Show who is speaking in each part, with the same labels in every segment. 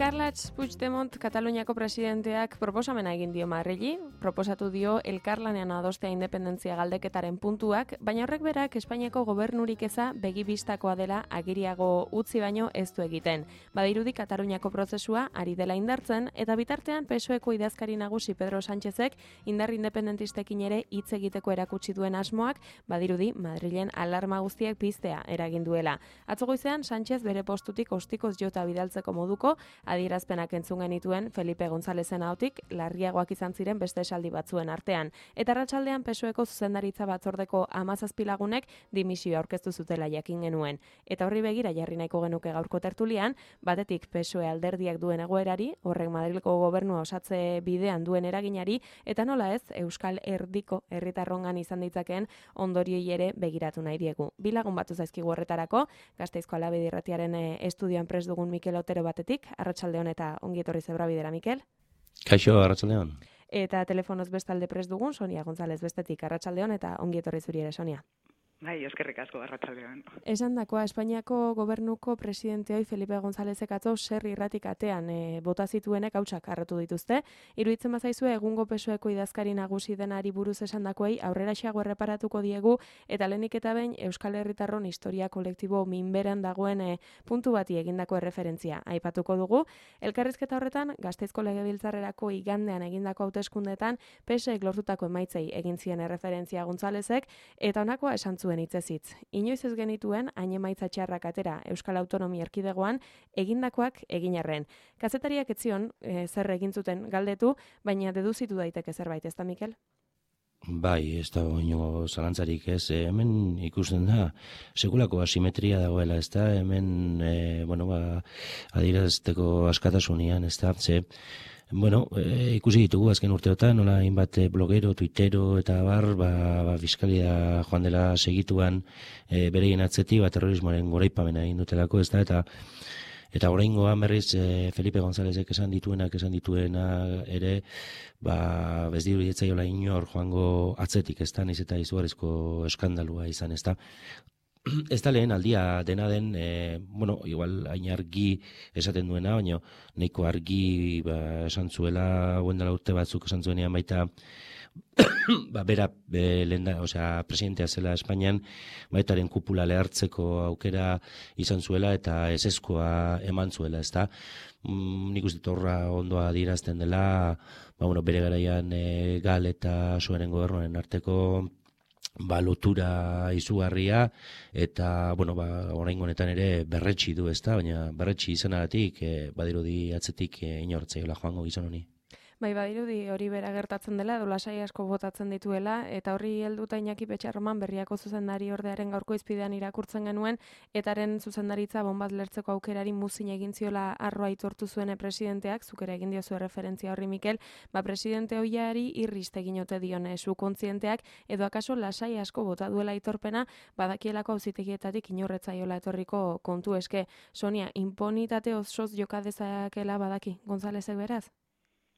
Speaker 1: Carles Puigdemont Kataluniako presidenteak proposamena egin dio Madrili, proposatu dio elkarlanean adostea independentzia galdeketaren puntuak, baina horrek berak Espainiako gobernurik eza begibistakoa dela agiriago utzi baino ez du egiten. Badirudi Kataluniako prozesua ari dela indartzen, eta bitartean PSOEko idazkari nagusi Pedro Sánchezek indar independentistekin ere hitz egiteko erakutsi duen asmoak, badirudi Madrilen alarma guztiak piztea eragin duela. Atzo goizean Sánchez bere postutik ostikoz jota bidaltzeko moduko adierazpenak entzun genituen Felipe Gonzalezen ahotik larriagoak izan ziren beste esaldi batzuen artean. Eta arratsaldean PSOEko zuzendaritza batzordeko 17 lagunek dimisioa aurkeztu zutela jakin genuen. Eta horri begira jarri nahiko genuke gaurko tertulian, batetik PSOE alderdiak duen egoerari, horrek Madrileko gobernua osatze bidean duen eraginari, eta nola ez, Euskal Erdiko herritarrongan izan ditzakeen ondorioi ere begiratu nahi diegu. Bi lagun batu zaizkigu horretarako, Gasteizko Alabedi Irratiaren estudioan prest dugun Mikel Otero batetik, arratsaldeon eta ongi etorri Zebrabidera, Mikel.
Speaker 2: Kaixo, arratsaldeon.
Speaker 1: Eta telefonoz bestalde prest dugun Sonia González bestetik, arratsaldeon eta ongi etorri zuri ere, Sonia.
Speaker 3: Bai, eskerrik asko arratsaldeon.
Speaker 1: Esandakoa, Espainiako gobernuko presidente hoi Felipe Gonzálezek atzo zer irratik atean bota zituenek hautsak harratu dituzte. Iruditzen bazaizue egungo PSOEko idazkari nagusi denari buruz esandakoei aurreraxeago erreparatuko diegu, eta lehenik eta behin Euskal Herritarron historia kolektibo minberan dagoen puntu bati egindako erreferentzia aipatuko dugu. Elkarrizketa horretan Gasteizko Legebiltzarrerako igandean egindako hauteskundeetan PSOEk lortutako emaitzei egin zien erreferentzia Gonzálezek, eta honakoa esan zuen hitzez-hitz. Inoiz ez genituen hain emaitza txarrak atera Euskal Autonomia Erkidegoan egindakoak egin arren. Kazetariak ez zion zer egin zuten galdetu, baina deduzitu daiteke zerbait, ezta Mikel?
Speaker 2: Bai, ez da inongo zalantzarik ez. Hemen ikusten da, sekulako asimetria dagoela, ez da, hemen, adierazteko askatasunian, ez da, ikusi ditugu azken urteotan, nola hainbat blogero, tuitero eta fiskalia joan dela segituan bereien atzetik, terrorismoaren goraipamena egin dutelako, ez da, eta oraingoan berriz Felipe Gonzálezek esan dituena ere, ez diruditzaiola inor joango atzetik, ez da, niz eta izugarrizko eskandalua izan, ez da. Ez da lehen aldia dena den, igual hain argi esaten duena, baina nahiko argi esan zuela, dela urte batzuk esan zuenean baita, bera presidentea zela Espainian, baitaren kupula lehartzeko aukera izan zuela eta ezezkoa eman zuela, ez da. Nik uste horra ondoa adierazten dela, bere garaian Gal eta Suaren gobernuaren arteko lotura izugarria, eta, oraingo honetan ere berretsi du, ezta, baina berretsi izanagatik, badirudi atzetik inortzaiola joango gizon honi.
Speaker 1: Bai, badirudi hori bera gertatzen dela, edo lasai asko botatzen dituela, eta horri helduta Iñaki Petxarroman Berriako zuzendari ordearen gaurko izpidean irakurtzen genuen, etaren zuzendaritza bonbat lertzeko aukerari muzin egin ziola arroa aitortu zuen presidenteak, zukera egin diozu referentzia horri Mikel, presidente hoiari irrist egin ote dion zu kontzienteak, edo akaso lasai asko bota duela aitorpena, badakielako auzitegietatik inorretzaiola etorriko kontu eske. Sonia, imponitate osoz joka dezakela badaki Gonzálezek beraz?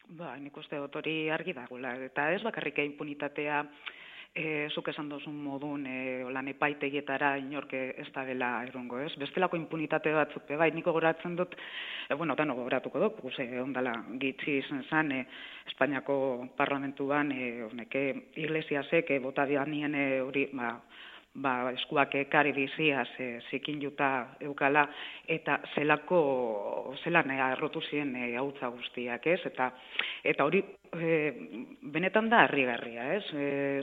Speaker 3: Nik uste dut hori argi dagoela, eta ez bakarrik impunitatea zuk esan dozun modun lan epaitegietara inorke ez da dela erongo, ez? Bestelako impunitate batzuk, bai, niko goratzen dut, dano goratuko dut, ondala gitzi izan zen, Espainiako parlamentuan, Iglesiasek bota dianien hori, eskuak ekari biziaz zikin juta eukala, eta zelan arrotu ziren hautza guztiak, ez? Eta hori benetan da harrigarria, ez?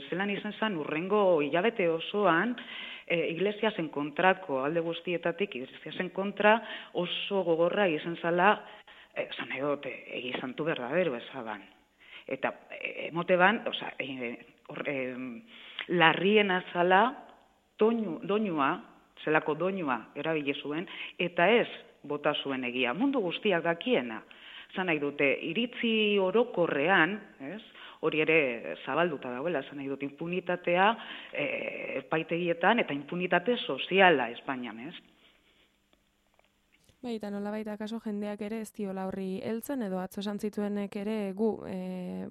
Speaker 3: Zelan izan zen urrengo hilabete osoan Iglesiasen kontrako alde guztietatik, Iglesiasen kontra oso gogorra izan zala, zan edot, egizantu berdadero ezaban. Eta emote ban, larrien azala, zelako doinua erabile zuen, eta ez bota zuen egia. Mundu guztiak dakiena. Zan nahi dute, iritzi orokorrean, hori ere zabalduta dagoela, zan nahi dute impunitatea epaitegietan eta impunitate soziala Espainian, ez?
Speaker 1: Baita, nolabait akaso jendeak ere ez diola horri heltzen edo atzo esan zituenek ere gu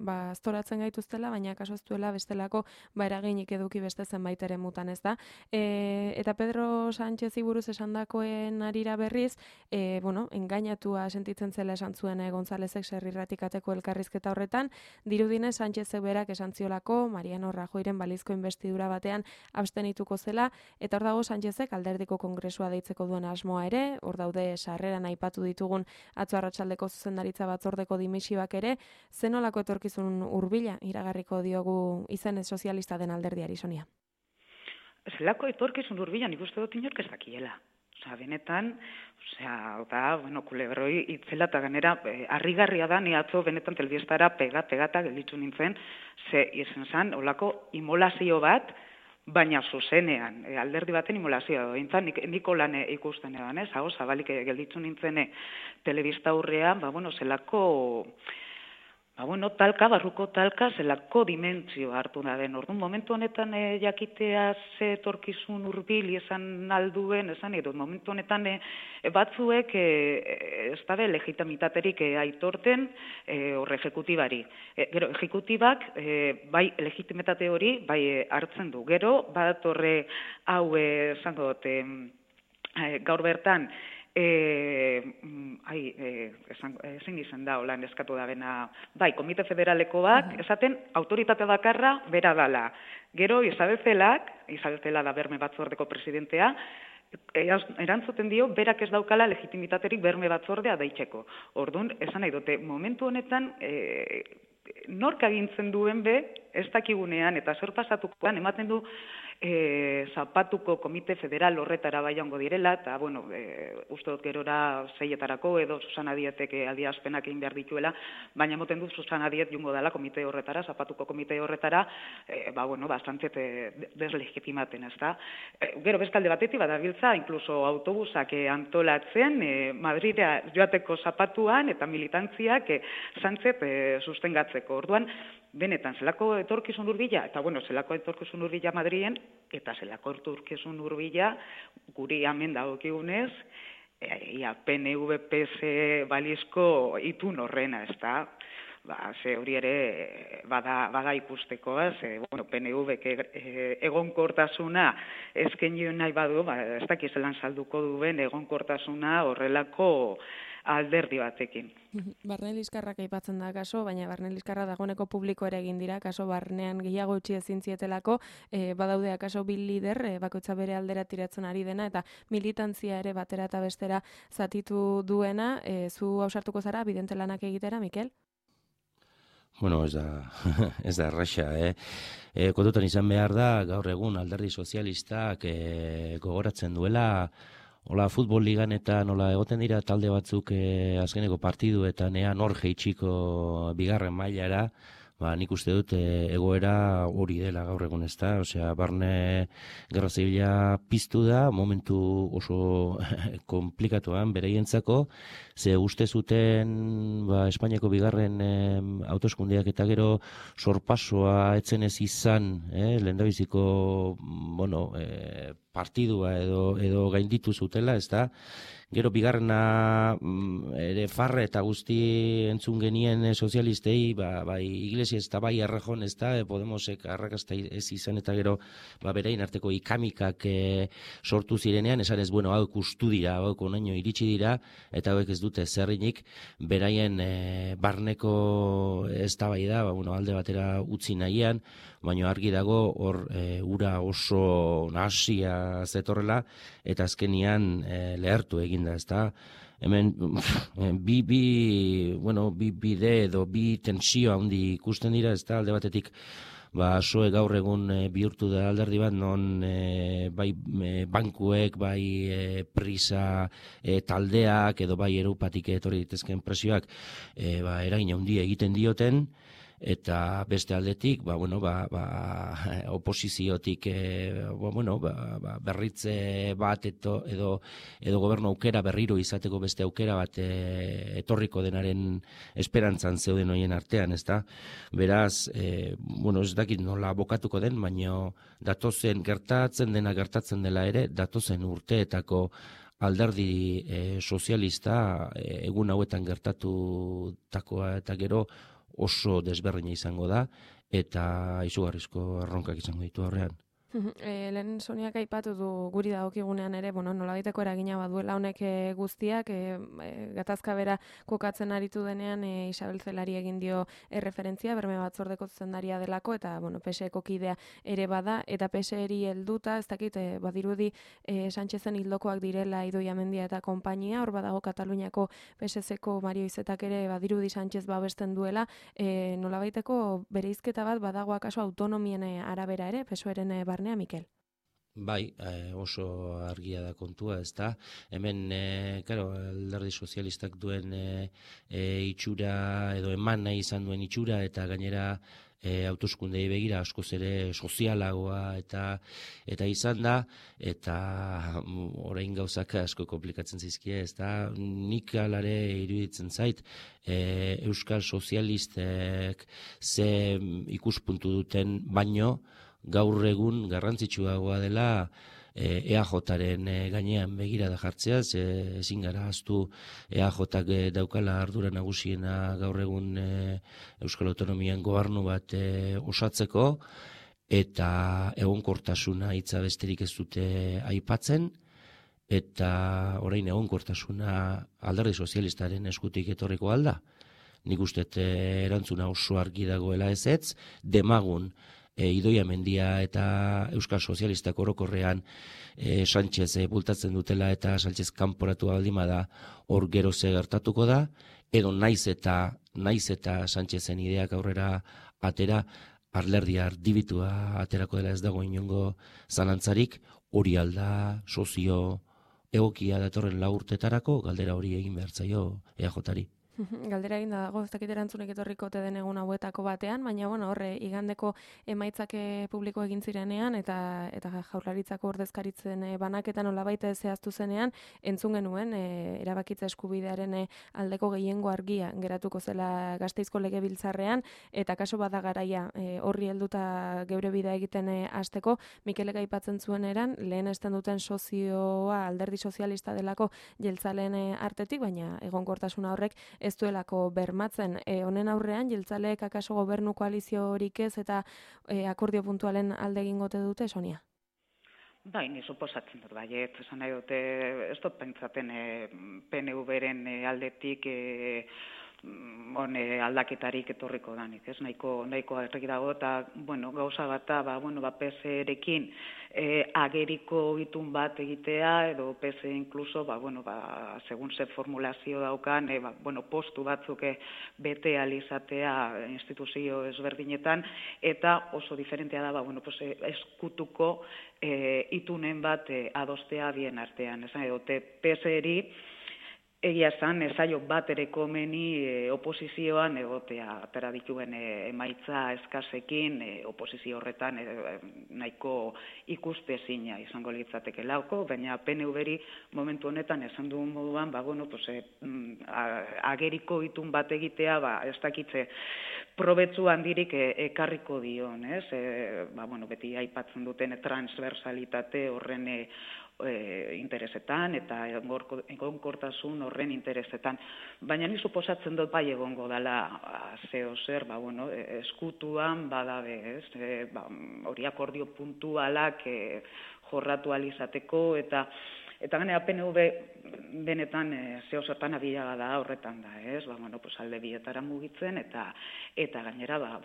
Speaker 1: aztoratzen gaituztela, baina akaso ez duela bestelako eraginik eduki beste zenbait ere mutan, ez da. Eta Pedro Sánchezi buruz esandakoen arira berriz, engainatua sentitzen zela esan zuen Gonzálezek Serrirratikateko elkarrizketa horretan, dirudinez Sánchezek berak esan ziolako Mariano Rajoyren balizko inbestidura batean abstenituko zela, eta hor dago Sánchezek alderdiko kongresua deitzeko duen asmoa ere, hor daude sarreran aipatu ditugun atzo arratsaldeko zuzendaritza batzordeko dimisioak ere, zenolako etorkizun hurbila iragarriko diogu izenez sozialista den alderdiari, Sonia?
Speaker 3: Zelako etorkizun hurbila nik uste dut inork ez dakiela. Benetan, kulebroi itzela eta ganera, harrigarria da, ni atzo benetan telebistara pegata gelditu nintzen, ze izen zan, olako imolazio bat, baina zuzenean, alderdi baten imolazioa dointzan, niko lan ikusten edan, hau zabalik gelditu nintzen telebista aurrean, zelako, barruko talka, zelako dimentsio hartu da den. Orduan, momentu honetan jakitea ze etorkizun hurbil esan alduen, esan edo, momentu honetan batzuek ez dabe legitimitaterik aitorten horre ejekutibari. Gero, ejekutibak, bai legitimitate hori, bai hartzen du. Gero, bat horre hau esango dut, gaur bertan, ezin izan da, holan eskatu da bena, bai, Komite Federalekoak, esaten, autoritate bakarra bera dala. Gero, Isabel Cela da Berme Batzordeko presidentea, erantzuten dio, berak ez daukala legitimitaterik Berme Batzordea deitzeko. Orduan, esan nahi dute, momentu honetan, nork agintzen duen ez dakigunean, eta zer pasatukoan, ematen du, Zapatuko Komite Federal horretara baiango direla, eta, uste dut gerora zeietarako, edo Susana Dietek adierazpenak egin behar dituela, baina moten dut Susana Diet jungo dela komite horretara, Zapatuko Komite horretara, bastante deslegitimaten, ez da. Gero, bestalde batetik, badabiltza, inkluso autobusak antolatzen, Madridea joateko Zapatuan, eta militantziak Sánchez sustengatzeko. Orduan, benetan, zelako etorkizun hurbila, eta zelako etorkizun hurbila Madrien, eta zelako etorkizun hurbila guri hemen dagokigunez, PNV-PS balizko itun horrena, ez da? Ze hori ere bada ikusteko, PNV-ek egonkortasuna eskenio nahi badu, ez dakiz lan salduko duen egonkortasuna horrelako alderdi batekin.
Speaker 1: Barne liskarrak aipatzen da kaso, baina barne liskarra dagoeneko publiko ere egin dira, kaso barnean gehiago utzi ezin zietelako, badaude akaso bi lider, bakoitza bere aldera tiratzen ari dena, eta militantzia ere batera eta bestera zatitu duena, zu ausartuko zara, bidente lanak egitera, Mikel?
Speaker 2: Ez da erraxa, kontutan izan behar da, gaur egun alderdi sozialistak gogoratzen duela, hola, futbol ligan eta nola egoten dira talde batzuk azkeneko partiduetan nor jeitsiko bigarren mailara, nik uste dut egoera hori dela gaur egun, ez da? Osea, barne gerra zibila piztu da, momentu oso komplikatuan beraientzako, ze uste zuten Espainiako bigarren hauteskundeak eta gero sorpasoa etzen ez izan, lehendabiziko partidua edo gainditu zutela, ez da? Gero bigarrena ere farre eta guzti entzun genien sozialistei, bai Iglesias eta bai Errejón, ez da, Podemosek arrakasta ez izan eta gero berein arteko ikamikak sortu zirenean, esan ez, hau ikustu dira, hau onaino iritsi dira, eta hauek ez dute zerrinik, beraien barneko ez da bai da, alde batera utzi nahian, baina argi dago hor ura oso nahasia zetorrela, eta azkenian lehertu egin da, ez da. Hemen bi bide edo bi tensio handi ikusten dira, ez da, alde batetik SOE gaur egun bihurtu da alderdi bat, non bai bankuek, bai prisa taldeak, edo bai Europatik etorri ditezken presioak eragin handia egiten dioten, eta beste aldetik, oposiziotik berritze bat edo gobernu aukera berriro izateko beste aukera bat etorriko denaren esperantzan zeuden hoien artean, ez da? Beraz, ez dakit nola bokatuko den, baina gertatzen dela ere, datozen urteetako alderdi sozialista egun hauetan gertatutakoa eta gero oso desberdina izango da, eta izugarrizko erronkak izango ditu horrean.
Speaker 1: Lehen Soniak aipatu du guri dagokigunean ere, nolabaiteko eragina baduela honek guztiak, gatazka bera kokatzen aritu denean Isabel Zelari egin dio erreferentzia, Berme Batzordeko zuzendaria delako, eta PSeko kidea ere bada, eta PSeri helduta, ez dakit, badirudi Sánchezen hildokoak direla Idoia Mendia eta konpainia, hor badago Kataluniako PSeko Mario Izetak ere badirudi Sánchez babesten duela, nolabaiteko bereizketa bat badago akaso autonomien arabera ere, PSOeren barnea, Mikel?
Speaker 2: Bai, oso argia da kontua, ez da. Hemen, alderdi sozialistak duen itxura, edo eman nahi izan duen itxura, eta gainera hauteskundei begira askoz ere sozialagoa eta izan da, eta orain gauzak asko komplikatzen zizkie, ez da. Nik alare iruditzen zait, Euskal Sozialistek ze ikuspuntu duten baino, gaur egun garrantzitsuagoa dela EAJaren gainean begirada jartzea, ezin gara ahaztu EAJak daukala ardura nagusiena gaur egun Euskal Autonomian gobernu bat osatzeko, eta egonkortasuna hitza besterik ez dute aipatzen, eta orain egonkortasuna alderdi sozialistaren eskutik etorriko alda. Nik uste erantzuna oso argi dagoela ezetz, demagun Idoia Mendia eta Euskal Sozialistak orokorrean Sánchez bultatzen dutela eta Sánchez kanporatu baldima da, hor gero ze gertatuko da, edo naiz eta Sánchezen ideak aurrera atera, alderdia ardibitua aterako dela ez dago inongo zalantzarik, hori alda sozio egokia datorren 4 urtetarako, galdera hori egin behar zaio EAJari.
Speaker 1: Galdera egin dago, ez dakit erantzunek etorriko ote den egun hauetako batean, baina horre igandeko emaitzak publiko egin zirenean eta Jaurlaritzako ordezkaritzen banaketan nolabait zehaztu zenean, entzun genuen erabakitza eskubidearen aldeko gehiengo argia geratuko zela Gasteizko Legebiltzarrean, eta kaso bada garaia horri helduta geure bidea egiten hasteko. Mikelek aipatzen zuen eran, lehen esten duten sozioa alderdi sozialista delako jeltzaleen artetik, baina egonkortasuna horrek ez duelako bermatzen. Honen aurrean, jeltzaleek akaso gobernu koaliziorik ez eta akordio puntualen alde egingote dute, Sonia?
Speaker 3: Bai, ni suposatzen dut, baiet, esan nahi dute, ez dut pentsaten PNV-ren aldetik aldaketarik etorriko danik, ez nahiko argi dago, eta gauza bata, PSrekin ageriko itun bat egitea, edo PS inkluso, segun ze formulazio daukan, postu batzuk bete alizatea instituzio ezberdinetan, eta oso diferentea da, eskutuko itunen bat adostea bien artean, esan edote PSri, egia esan, ezaio bat ere komeni oposizioan egotea, atera dituen emaitza eskasekin, oposizio horretan nahiko ikustezina izango litzateke lauko, baina PNV-ri momentu honetan esan duen moduan, ageriko itun bat egitea, ez dakitze probetzu handirik ekarriko dion, ez? Beti aipatzen duten transversalitate horren interesetan eta egonkortasun horren interesetan. Baina ni suposatzen dut bai egongo dela zeo zer, eskutuan badabe, ez? Hori akordio puntualak jorratu alizateko eta gainera PNV benetan zeo zertan abilaga da horretan da, ez? Alde bietara mugitzen eta gainera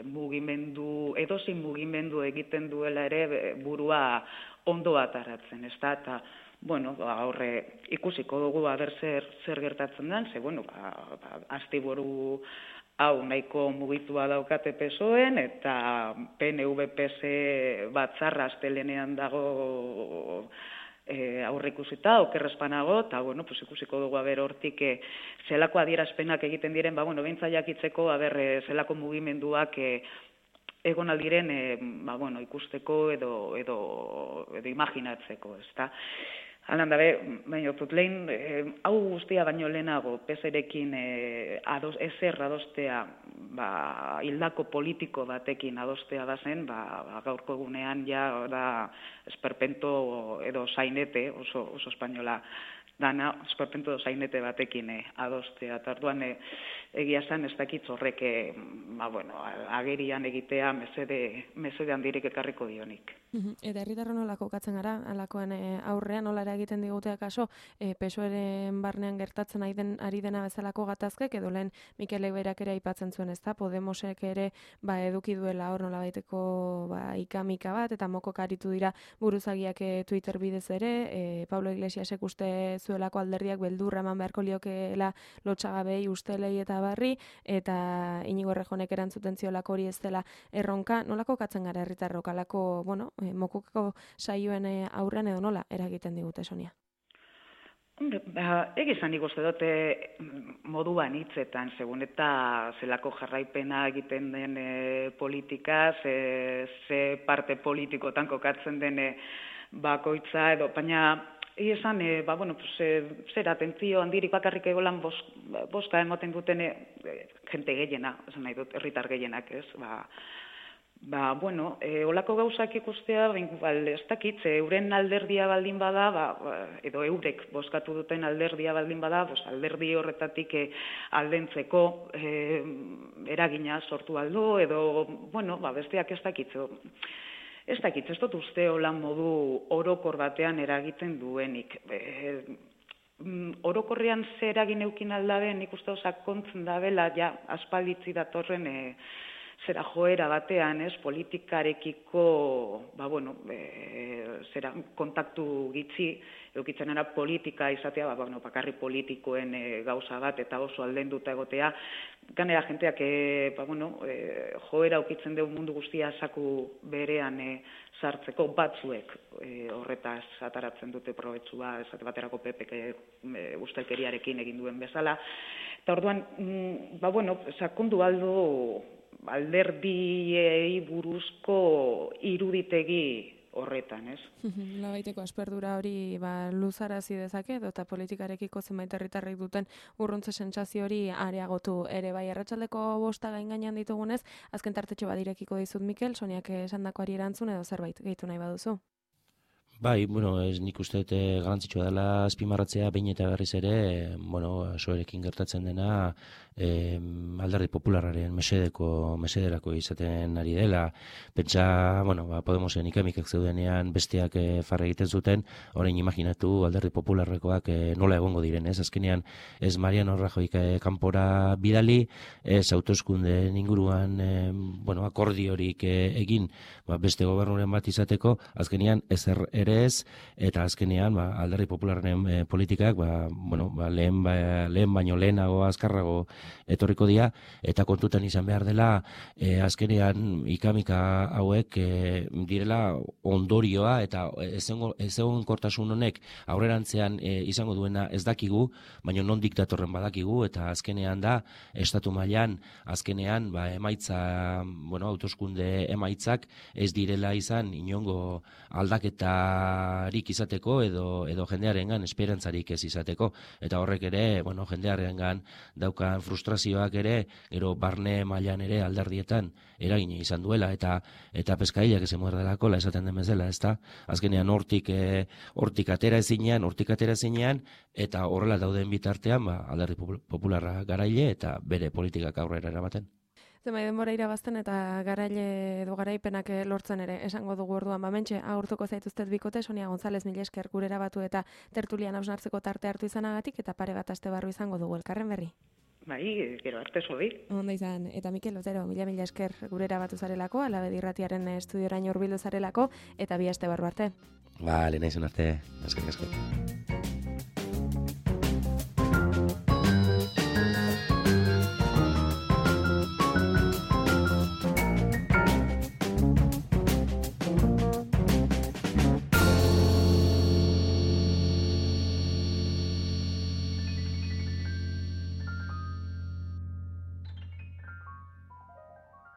Speaker 3: mugimendu, edozein mugimendu egiten duela ere burua ondo ataratzen, ez da, eta horre ikusiko dugu zer gertatzen den, ze astiburu hau nahiko mugitua daukate PSOEn, eta PNV-PS batzarra astelenean dago aurreikusita, okerrezpanago, eta ikusiko dugu hortik zelako adierazpenak egiten diren, behintzat jakitzeko zelako mugimenduak egon aldiren ikusteko edo imaginatzeko, ezta. Halan dabe, baina lehen, hau guztia baino lehenago, PSrekin ezer adostea hildako politiko batekin adostea bazen, gaurko egunean ja da esperpento edo sainete, oso espainola dana, esperpento edo sainete batekin adostea. Eta orduan egia esan ez dakitz horrek agerian egitea mesede handirik ekarriko dionik.
Speaker 1: Eta herritarron nola kokatzen gara, alakoan aurrean nola egiten digute akaso PSOEren barnean gertatzen ari dena bezalako gatazkek, edo lehen Mikel Berak ere aipatzen zuen, ezta? Podemosek ere eduki duela hor nola baiteko ikamika bat, eta mokok aritu dira buruzagiak Twitter bidez ere, Pablo Iglesiasek uste zuelako alderdiak beldurra eman beharko liokeela lotsagabei, ustelei eta barri, eta Inigo Errejonek erantzuten ziolako hori ez dela erronka. Nola kokatzen gara herritarrok alako, mokoko saioen aurrean edo nola eragiten digute, Sonia?
Speaker 3: Egizan ikuste dute moduan hitzetan, segun eta zelako jarraipena egiten den politika, ze parte politikotan kokatzen den bakoitza, edo, baina esan, zer atentzio handirik bakarrik egolan boska emoten duten jente gehiena, esan nahi dut, herritar gehienak, ez, olako gauzak ikustea, ez dakit, euren alderdia baldin bada, edo eurek bozkatu duten alderdia baldin bada, alderdi horretatik aldentzeko eragina sortu aldo, edo, besteak ez dakit, ez dut uste holan modu orokor batean eragiten duenik. Orokorrean ze eragin eukin aldaben, nik uste sakontzen dabela, aspalditzi datorren zera joera batean, politikarekiko, kontaktu gitzi, eukitzen era politika izatea, bakarri politikoen gauza bat, eta oso aldenduta egotea, ganera jenteak, joera eukitzen dugu mundu guztia zaku berean sartzeko batzuek horretaz ataratzen dute probetxua, esate baterako PPk ustelkeriarekin egin duen bezala, eta orduan, sakondu aldo alderdiei buruzko iruditegi horretan, ez?
Speaker 1: Labaiteko asperdura hori luzarazi dezake, eta politikarekiko zenbait herritarrek duten urruntze sentsazio hori areagotu ere bai. Arratsaldeko 5 gainean ditugunez, azken tartetxo bat irekiko dizut, Mikel, Soniak esandakoari erantzun edo zerbait gehitu nahi baduzu.
Speaker 2: Bai, ez nik uste garrantzitsua dela azpimarratzea behin eta berriz ere, soerekin gertatzen dena alderdi popularraren mesederako izaten ari dela. Pentsa, Podemosen ikamikak zeudenean besteak farra egiten zuten, orain imaginatu alderdi popularrekoak nola egongo diren, ez? Azkenean ez Mariano Rajoyk kanpora bidali, ez hauteskundeen inguruan akordiorik egin beste gobernuren bat izateko, azkenean ezer ere ez, eta azkenean alderdi popularren politikak lehen baino lehenago azkarrago etorriko dira, eta kontutan izan behar dela azkenean ikamika hauek direla ondorioa, eta ez egon kortasun honek aurrerantzean izango duena ez dakigu, baina non diktatorren badakigu, eta azkenean da estatu mailan azkenean emaitza, hauteskunde emaitzak ez direla izan inongo aldaketarik izateko edo jendearengan esperantzarik ez izateko, eta horrek ere jendearengan daukan frustrazioak ere gero barne mailan ere alderdietan eragina izan duela, eta peskailak ez emuerdelako esaten den bezala, ezta? Azkenean hortik atera ezinean, eta horrela dauden bitartean alderdi popularra garaile eta bere politikak aurrera eramaten.
Speaker 1: Zenbait denbora irabazten eta garaile edo garaipenak lortzen ere esango dugu orduan. Mentxe, agurtuko zaituztet bikote, Sonia González, mila esker gurera batu eta tertulian hausnartzeko tarte hartu izanagatik, eta pare bat aste barru izango dugu elkarren berri.
Speaker 3: Bai, gero arte zoi.
Speaker 1: Ondo izan, eta Mikel Otero, mila esker gurera batu zarelako, Alabedi Irratiaren estudioraino hurbildu zarelako, eta bi aste barru arte.
Speaker 2: Lehenaizun arte, eskerrik asko.